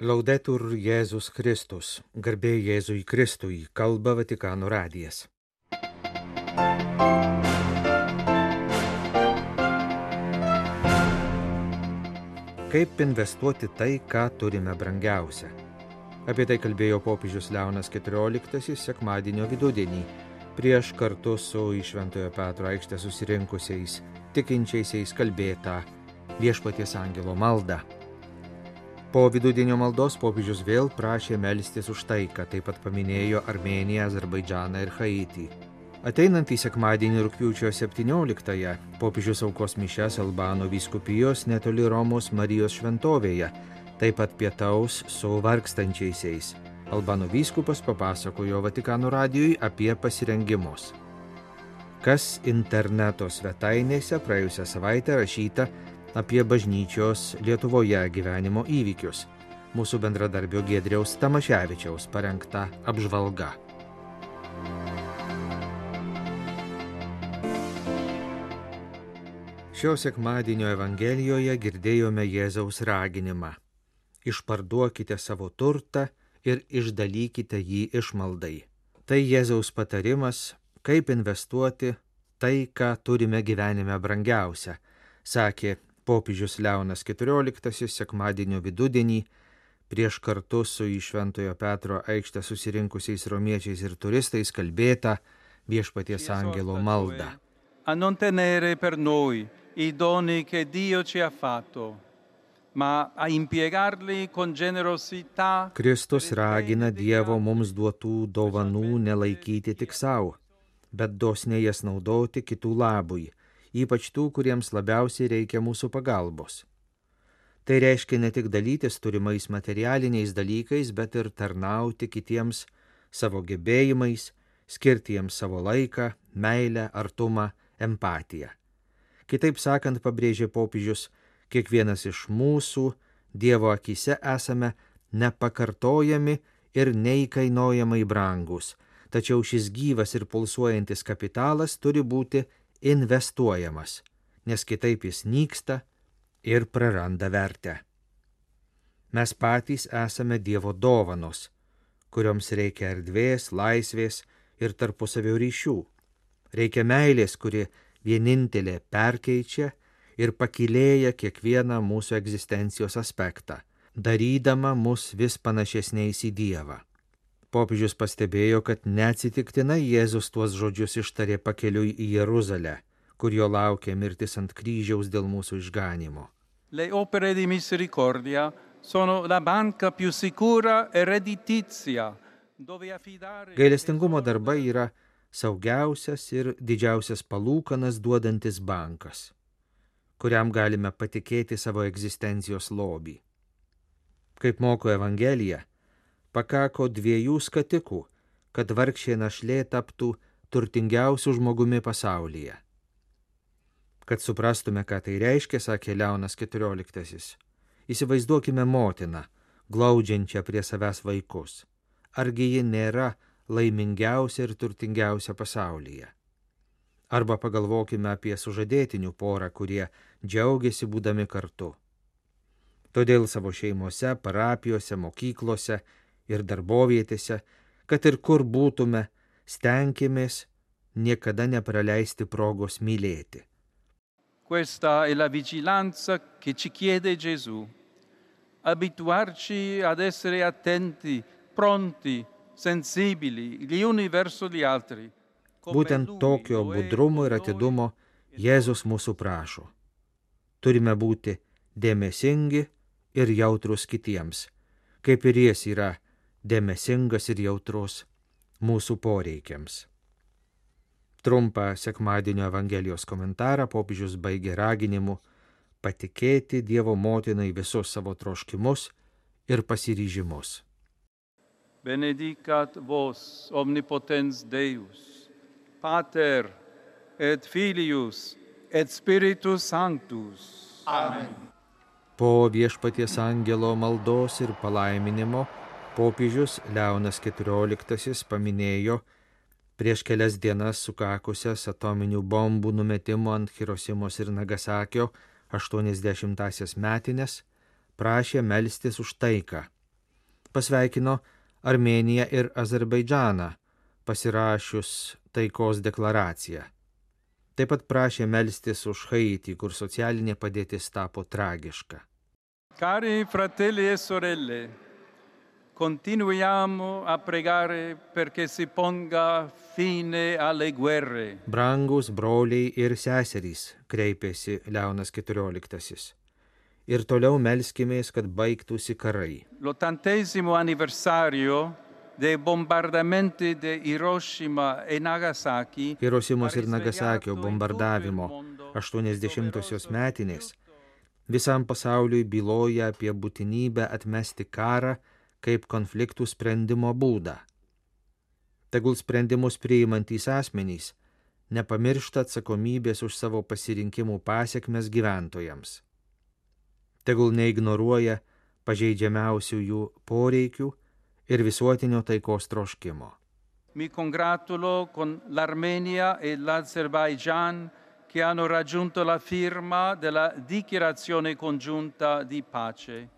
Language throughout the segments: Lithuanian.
Laudetur Jėzus Kristus, garbė Jėzui Kristui, kalba Vatikano radijas. Kaip investuoti tai, ką turime brangiausia? Apie tai kalbėjo popiežius Leonas XIV sekmadienio vidudienį, prieš kartu su į Šventojo Petro aikštę susirinkusiais tikinčiaisiais kalbėtą Viešpaties angelo maldą. Po vidudienio maldos popiežius vėl prašė melstis už taiką, taip pat paminėjo Armėniją, Azerbaidžaną ir Haitį. Ateinantį sekmadienį rugpjūčio 17-ąją popiežius aukos mišias Albano vyskupijos netoli Romos Marijos šventovėje, taip pat pietaus su vargstančiaisiais. Albano vyskupas papasakojo Vatikano radijui apie pasirengimus. Kas interneto svetainėse praėjusią savaitę rašyta apie bažnyčios Lietuvoje gyvenimo įvykius. Mūsų bendradarbio Giedriaus Tamaševičiaus parengta apžvalga. Šio sekmadienio Evangelijoje girdėjome Jėzaus raginimą: išparduokite savo turtą ir išdalykite jį išmaldai. Tai Jėzaus patarimas, kaip investuoti tai, ką turime gyvenime brangiausia, sakė popiežius Leonas XIV sekmadienio vidudienį prieš kartu su į Šventojo Petro aikštę susirinkusiais romiečiais ir turistais kalbėtą Viešpaties angelo maldą. A non tenere per noi i doni che Dio ci ha fatto, ma a impiegarli con generosità. Kristus ragina Dievo mums duotų dovanų nelaikyti tik savo, bet dosniai jas naudoti kitų labui, ypač tų, kuriems labiausiai reikia mūsų pagalbos. Tai reiškia ne tik dalytis turimais materialiniais dalykais, bet ir tarnauti kitiems savo gebėjimais, skirti jiems savo laiką, meilę, artumą, empatiją. Kitaip sakant, pabrėžė popiežius, kiekvienas iš mūsų Dievo akyse esame nepakartojami ir neįkainojamai brangus, tačiau šis gyvas ir pulsuojantis kapitalas turi būti investuojamas, nes kitaip jis nyksta ir praranda vertę. Mes patys esame Dievo dovanos, kurioms reikia erdvės, laisvės ir tarpusavio ryšių. Reikia meilės, kuri vienintelė perkeičia ir pakylėja kiekvieną mūsų egzistencijos aspektą, darydama mus vis panašesniais į Dievą. Popiežius pastebėjo, kad neatsitiktinai Jėzus tuos žodžius ištarė pakeliui į Jeruzalę, kur jo laukia mirtis ant kryžiaus dėl mūsų išganymo. Le opere di misericordia sono la banca più sicura e redditizia, dove affidare. Gailestingumo darbai yra saugiausias ir didžiausias palūkanas duodantis bankas, kuriam galime patikėti savo egzistencijos lobį. Kaip moko Evangelija, pakako 2 skatikų, kad vargšė našlė taptų turtingiausiu žmogumi pasaulyje. Kad suprastume, ką tai reiškia, sakė Leonas XIV, įsivaizduokime motiną, glaudžiančią prie savęs vaikus. Argi ji nėra laimingiausia ir turtingiausia pasaulyje? Arba pagalvokime apie sužadėtinių porą, kurie džiaugiasi būdami kartu. Todėl savo šeimose, parapijose, mokyklose ir darbovietėse, kad ir kur būtume, stenkimės niekada nepraleisti progos mylėti. Questa è la vigilanza che ci chiede Gesù. Abituarci ad essere attenti, pronti, sensibili, gli uni verso gli altri. Būtent tokio budrumo ir atidumo Jėzus mūsų prašo. Turime būti dėmesingi ir jautrus kitiems, kaip ir jis yra dėmesingas ir jautrus mūsų poreikiams. Trumpą sekmadienio Evangelijos komentarą popiežius baigė raginimu patikėti Dievo motinai visus savo troškimus ir pasiryžimus. Benedicat vos omnipotens Deus, Pater et Filius et Spiritus Sanctus. Amen. Po Viešpaties angelo maldos ir palaiminimo popiežius Leonas XIV paminėjo prieš kelias dienas sukakusias atominių bombų numetimo ant Hirosimos ir Nagasakio 80-asias metines, prašė melstis už taiką, Pasveikino Armėniją ir Azerbaidžaną, pasirašius taikos deklaraciją. Taip pat prašė melstis už Haitį, kur socialinė padėtis tapo tragiška. Cari fratelli e sorelle, continuiamo a pregare perché si ponga fine alle guerre. Brangus broliai ir seserys, kreipėsi Leonas XIV. Ir toliau melskimės, kad baigtųsi karai. L'80° anniversario dei bombardamenti di Hiroshima e Nagasaki. Hirošimos ir Nagasakio bombardavimo 80-osios metinės visam pasauliui byloja apie būtinybę atmesti karą kaip konfliktų sprendimo būdą. Tegul sprendimus priimantys asmenys nepamiršta atsakomybės už savo pasirinkimų pasekmes gyventojams. Tegul neignoruoja pažeidžiamiausių jų poreikių ir visuotinio taikos troškimo. Mi congratulo con l'Armenia e l'Azerbaigian che hanno raggiunto la firma della dichiarazione congiunta di pace.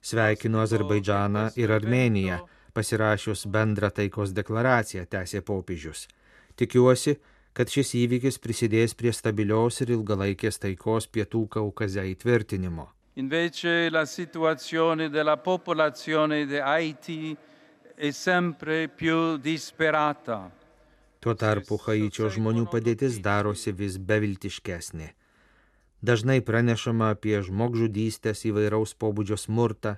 Sveikinu Azerbaidžaną ir Armėniją, pasirašius bendrą taikos deklaraciją, tęsė popiežius. Tikiuosi, kad šis įvykis prisidės prie stabilios ir ilgalaikės taikos Pietų Kaukaze įtvirtinimo. Invece la situazione della popolazione di Haiti è sempre più disperata. Tuo tarpu Haičio žmonių padėtis darosi vis beviltiškesnė. Dažnai pranešama apie žmogžudystės, įvairaus pobūdžio smurtą,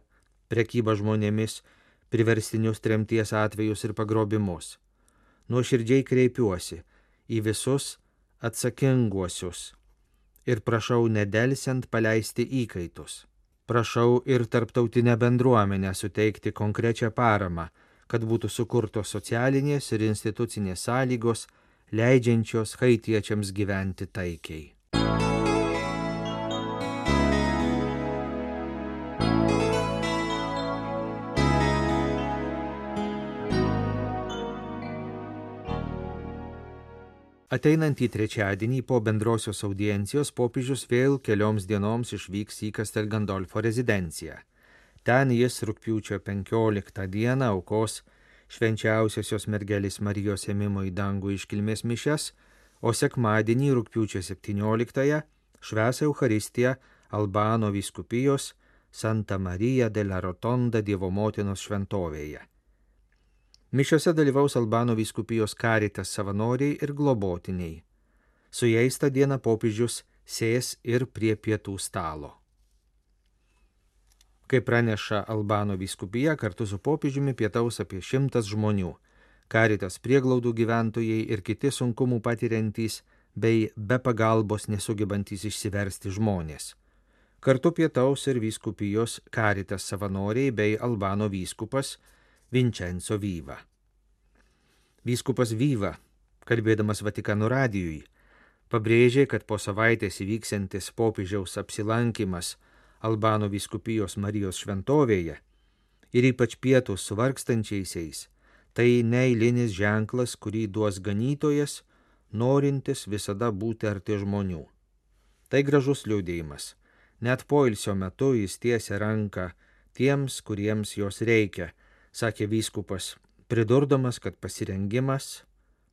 prekybą žmonėmis, priverstinius tremties atvejus ir pagrobimus. Nuoširdžiai kreipiuosi į visus atsakinguosius ir prašau nedelsiant paleisti įkaitus. Prašau ir tarptautinę bendruomenę suteikti konkrečią paramą, kad būtų sukurtos socialinės ir institucinės sąlygos, leidžiančios haitiečiams gyventi taikiai. Ateinantį trečiadienį po bendrosios audiencijos popiežius vėl kelioms dienoms išvyks į Castel Gandolfo rezidenciją. Ten jis rugpjūčio 15 dieną aukos švenčiausiosios mergelės Marijos ėmimo į dangų iškilmės mišias, o sekmadienį rugpjūčio 17 švęs Eucharistiją Albano vyskupijos Santa Marija della Rotonda Dievo motinos šventovėje. Mišiose dalyvaus Albano vyskupijos Caritas savanoriai ir globotiniai. Su jais tą dieną popiežius sės ir prie pietų stalo. Kaip praneša Albano vyskupija, kartu su popiežiumi pietaus apie 100 žmonių, Caritas prieglaudų gyventojai ir kiti sunkumų patiriantys bei be pagalbos nesugebantys išsiversti žmonės. Kartu pietaus ir vyskupijos Caritas savanoriai bei Albano vyskupas Vincenzo Viva. Vyskupas Viva, kalbėdamas Vatikano radijui, pabrėžė, kad po savaitės įvyksiantis popiežiaus apsilankimas Albano vyskupijos Marijos šventovėje ir ypač pietus su vargstančiaisiais, tai neeilinis ženklas, kurį duos ganytojas, norintis visada būti arti žmonių. Tai gražus liudijimas. Net poilsio metu jis tiesia ranką tiems, kuriems jos reikia, sakė vyskupas, pridurdamas, kad pasirengimas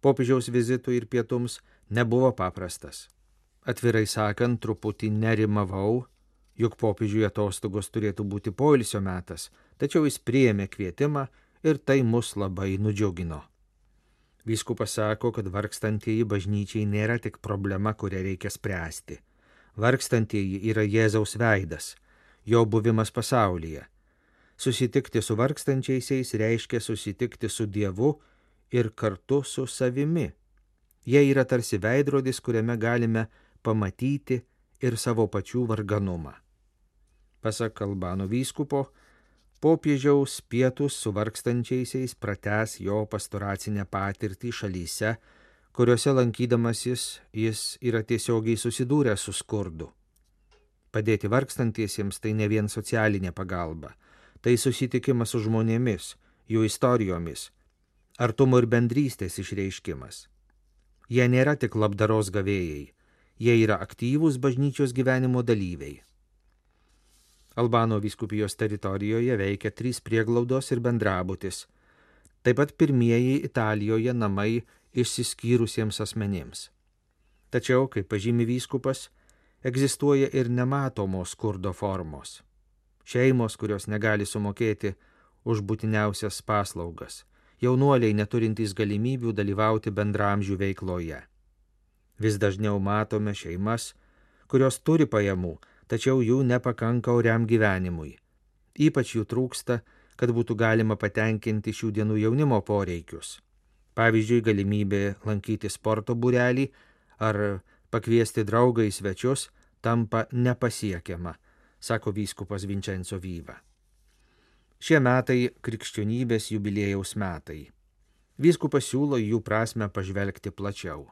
popiežiaus vizitui ir pietums nebuvo paprastas. Atvirai sakant, truputį nerimavau, juk popiežiui atostogos turėtų būti poilsio metas, tačiau jis priėmė kvietimą ir tai mus labai nudžiugino. Vyskupas sako, kad vargstantieji bažnyčiai nėra tik problema, kurią reikia spręsti. Vargstantieji yra Jėzaus veidas, jo buvimas pasaulyje. Susitikti su vargstančiaisiais reiškia susitikti su Dievu ir kartu su savimi. Jie yra tarsi veidrodis, kuriame galime pamatyti ir savo pačių varganumą. Pasak Albano vyskupo, popiežiaus pietus su vargstančiaisiais pratęs jo pastoracinę patirtį šalyse, kuriuose lankydamasis jis yra tiesiogiai susidūręs su skurdu. Padėti vargstantiesiems tai ne vien socialinė pagalba, tai susitikimas su žmonėmis, jų istorijomis, artumo ir bendrystės išreiškimas. Jie nėra tik labdaros gavėjai, jie yra aktyvūs bažnyčios gyvenimo dalyviai. Albano vyskupijos teritorijoje veikia 3 prieglaudos ir bendrabutis. Taip pat pirmieji Italijoje namai išsiskyrusiems asmenims. Tačiau, kaip pažymi vyskupas, egzistuoja ir nematomos skurdo formos. Šeimos, kurios negali sumokėti už būtiniausias paslaugas. Jaunuoliai neturintys galimybių dalyvauti bendramžių veikloje. Vis dažniau matome šeimas, kurios turi pajamų, tačiau jų nepakanka oriam gyvenimui. Ypač jų trūksta, kad būtų galima patenkinti šių dienų jaunimo poreikius. Pavyzdžiui, galimybė lankyti sporto būrelį ar pakviesti draugą į svečius tampa nepasiekiama, sako vyskupas Vincenzo Viva. Šie metai krikščionybės jubiliejaus metai. Vyskupas siūlo jų prasmę pažvelgti plačiau.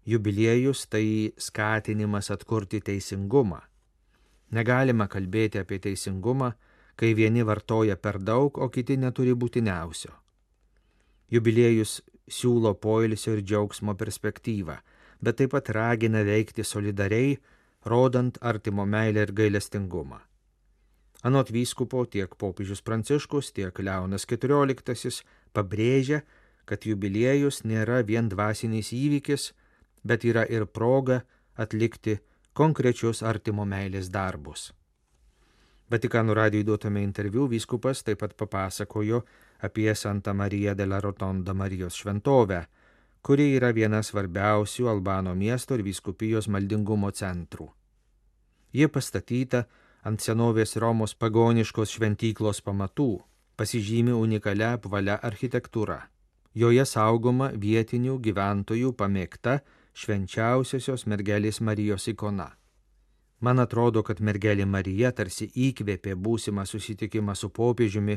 Jubiliejus tai skatinimas atkurti teisingumą. Negalima kalbėti apie teisingumą, kai vieni vartoja per daug, o kiti neturi būtiniausio. Jubiliejus siūlo poilsio ir džiaugsmo perspektyvą, bet taip pat ragina veikti solidariai, rodant artimo meilę ir gailestingumą. Anot vyskupo tiek popiežius Pranciškus, tiek Leonas XIV pabrėžia, kad jubiliejus nėra vien dvasinis įvykis, bet yra ir proga atlikti konkrečius artimo meilės darbus. Vatikano radijui duotame interviu vyskupas taip pat papasakojo apie Santa Maria della Rotonda Marijos šventovę, kuri yra viena svarbiausių Albano miesto ir vyskupijos maldingumo centrų. Ji pastatyta ant senovės Romos pagoniškos šventyklos pamatų, pasižymi unikalia apvalia architektūra. Joje saugoma vietinių gyventojų pamėgta švenčiausiosios mergelės Marijos ikona. Man atrodo, kad mergelė Marija tarsi įkvėpė būsimą susitikimą su popiežiumi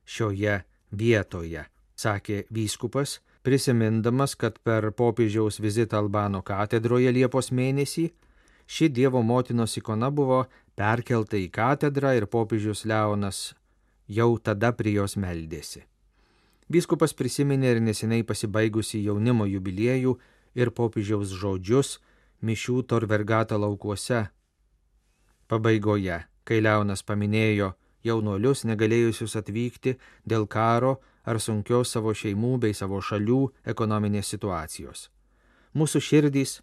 šioje vietoje, sakė vyskupas, prisimindamas, kad per popiežiaus vizitą Albano katedroje Liepos mėnesį ši Dievo motinos ikona buvo perkelta į katedrą ir popiežius Leonas jau tada prie jos meldėsi. Vyskupas prisiminė ir neseniai pasibaigusi jaunimo jubiliejų ir popiežiaus žodžius mišių Tor Vergata laukuose. Pabaigoje, kai Leonas paminėjo jaunuolius negalėjusius atvykti dėl karo ar sunkios savo šeimų bei savo šalių ekonominės situacijos. Mūsų širdys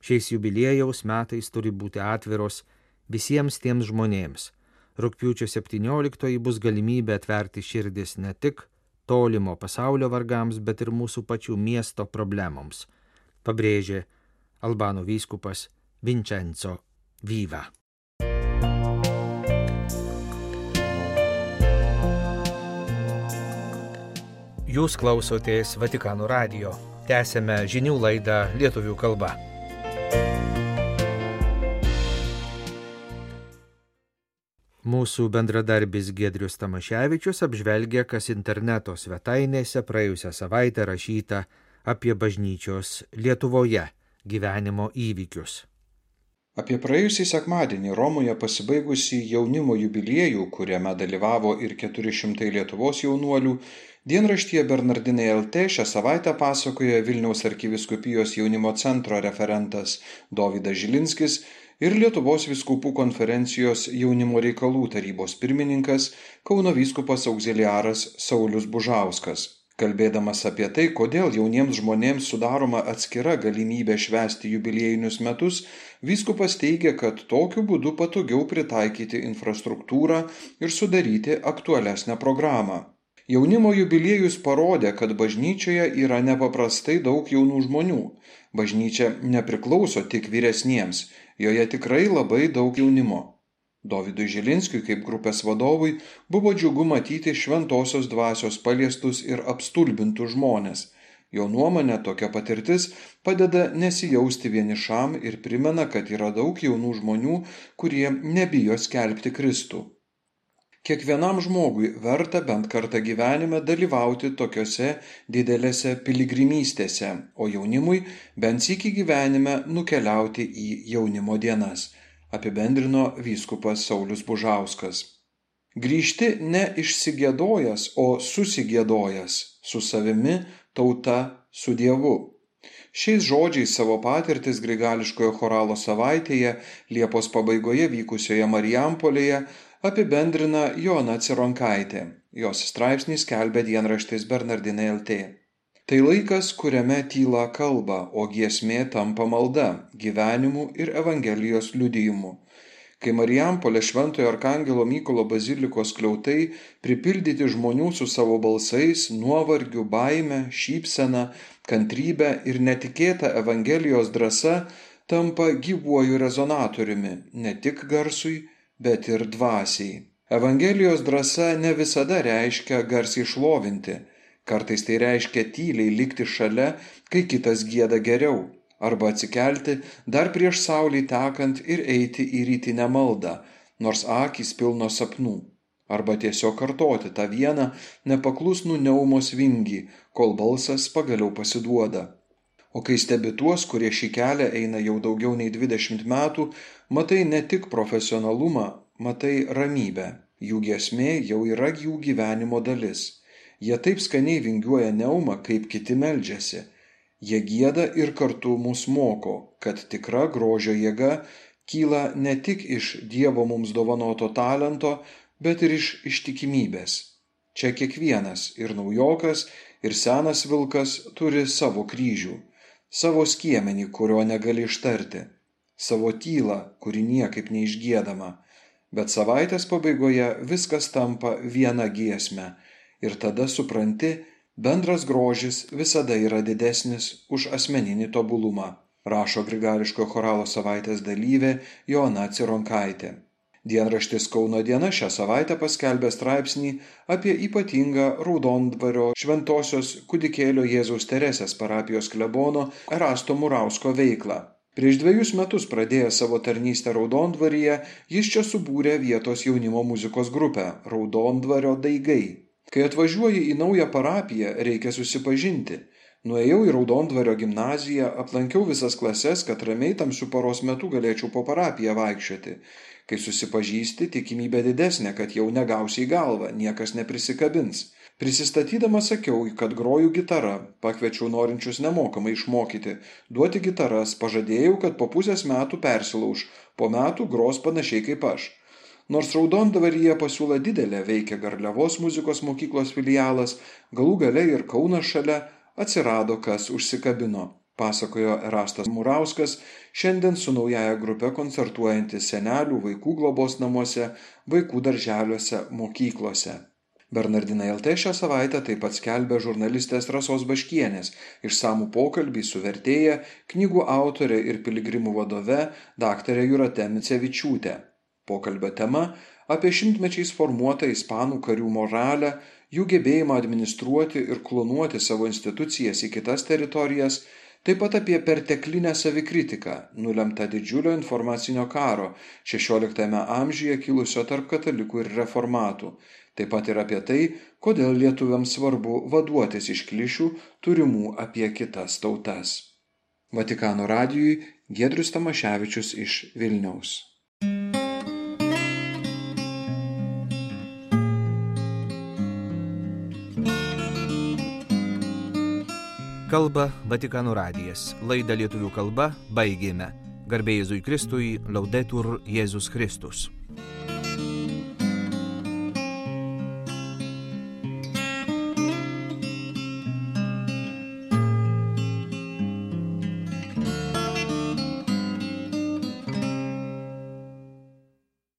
šiais jubiliejaus metais turi būti atviros visiems tiems žmonėms. Rugpjūčio 17 bus galimybė atverti širdis ne tik tolimo pasaulio vargams, bet ir mūsų pačių miesto problemoms, pabrėžė Albano vyskupas Vincenzo Viva. Jūs klausotės Vatikano radijo. Tęsėme žinių laidą lietuvių kalba. Mūsų bendradarbis Giedrius Tamaševičius apžvelgia, kas interneto svetainėse praėjusią savaitę rašyta apie bažnyčios Lietuvoje gyvenimo įvykius. Apie praėjusį sekmadienį Romoje pasibaigusį jaunimo jubiliejų, kuriame dalyvavo ir 400 Lietuvos jaunuolių, dienraštyje Bernardinai LT šią savaitę pasakoja Vilniaus arkivyskupijos jaunimo centro referentas Dovydas Žilinskis ir Lietuvos vyskupų konferencijos jaunimo reikalų tarybos pirmininkas Kauno vyskupas augziliaras Saulius Bužauskas. Kalbėdamas apie tai, kodėl jauniems žmonėms sudaroma atskira galimybė švęsti jubiliejinius metus, vyskupas teigia, kad tokiu būdu patogiau pritaikyti infrastruktūrą ir sudaryti aktualesnę programą. Jaunimo jubiliejus parodė, kad bažnyčioje yra nepaprastai daug jaunų žmonių. Bažnyčia nepriklauso tik vyresniems, joje tikrai labai daug jaunimo. Dovydui Žilinskiui kaip grupės vadovui buvo džiugu matyti šventosios dvasios paliestus ir apstulbintus žmonės. Jo nuomonė, tokia patirtis padeda nesijausti vienišam ir primena, kad yra daug jaunų žmonių, kurie nebijo skelbti Kristų. Kiekvienam žmogui verta bent kartą gyvenime dalyvauti tokiose didelėse piligrimystėse, o jaunimui bent sykį gyvenime nukeliauti į jaunimo dienas, apibendrino vyskupas Saulius Bužauskas. Grįžti ne išsigiedojęs, o susigiedojęs, su savimi, tauta, su Dievu. Šiais žodžiais savo patirtis Grigališkojo choralo savaitėje Liepos pabaigoje vykusioje Marijampolėje apibendrina Joana Cironkaitė. Jos straipsnį skelbia dienraštis Bernardinai LT. Tai laikas, kuriame tyla kalba, o giesmė tampa malda, gyvenimu ir Evangelijos liudijimu. Kai Marijampolė Šventojo Arkangelo Mykolo bazilikos skliautai pripildyti žmonių su savo balsais, nuovargiu, baime, šypsena, kantrybe ir netikėta Evangelijos drąsa tampa gyvuoju rezonatoriumi, ne tik garsui, bet ir dvasiai. Evangelijos drąsa ne visada reiškia garsiai šlovinti, kartais tai reiškia tyliai likti šalia, kai kitas gieda geriau. Arba atsikelti dar prieš saulei tekant ir eiti į rytinę maldą, nors akys pilnos sapnų. Arba tiesiog kartoti tą vieną nepaklusnų neumos vingį, kol balsas pagaliau pasiduoda. O kai stebi tuos, kurie šį kelią eina jau daugiau nei 20 metų, matai ne tik profesionalumą, matai ramybę. Jų giesmė jau yra jų gyvenimo dalis. Jie taip skaniai vingiuoja neumą, kaip kiti meldžiasi. Jie gieda ir kartu mus moko, kad tikra grožio jėga kyla ne tik iš Dievo mums dovanoto talento, bet ir iš ištikimybės. Čia kiekvienas, ir naujokas, ir senas vilkas turi savo kryžių, savo skiemenį, kurio negali ištarti, savo tylą, kuri niekaip neišgiedama. Bet savaitės pabaigoje viskas tampa viena giesme ir tada supranti, bendras grožis visada yra didesnis už asmeninį tobulumą, rašo Grigališkojo choralo savaitės dalyvė Joana Cironkaitė. Dienraštis Kauno diena šią savaitę paskelbė straipsnį apie ypatingą Raudondvario Šventosios Kūdikėlio Jėzaus Teresės parapijos klebono Erasto Murausko veiklą. Prieš 2 metus pradėjęs savo tarnystę Raudondvaryje, jis čia subūrė vietos jaunimo muzikos grupę Raudondvario daigai. Kai atvažiuoji į naują parapiją, reikia susipažinti. Nuėjau į Raudondvario gimnaziją, aplankiau visas klases, kad ramiai tamsiu paros metu galėčiau po parapiją vaikščioti. Kai susipažįsti, tikimybė didesnė, kad jau negausi į galvą, niekas neprisikabins. Prisistatydamas sakiau, kad groju gitara, pakviečiau norinčius nemokamai išmokyti, duoti gitaras, pažadėjau, kad po pusės metų persilauš, po metų gros panašiai kaip aš. Nors Raudondvaryje pasiūla didelė, veikia Garliavos muzikos mokyklos filialas, galų gale ir Kaunas šalia, atsirado kas užsikabino, pasakojo Erastas Murauskas, šiandien su naujaja grupe koncertuojantis senelių, vaikų globos namuose, vaikų darželiuose, mokyklose. Bernardinai LT šią savaitę taip pat skelbė žurnalistės Rasos Baškienės išsamų pokalbį su vertėja, knygų autorė ir piligrimų vadove daktare Jūrate Micevičiūte. Pokalbio tema apie šimtmečiais formuotą ispanų karių moralę, jų gebėjimą administruoti ir klonuoti savo institucijas į kitas teritorijas, taip pat apie perteklinę savikritiką, nulemtą didžiulio informacinio karo 16 amžiuje kilusio tarp katalikų ir reformatų, taip pat ir apie tai, kodėl lietuviams svarbu vaduotis iš klišių turimų apie kitas tautas. Vatikano radijui Giedrius Tamaševičius iš Vilniaus. Kalba Vatikano radijas. Laidą lietuvių kalba baigėme. Garbė Jėzui Kristui, Laudetur Jėzus Kristus.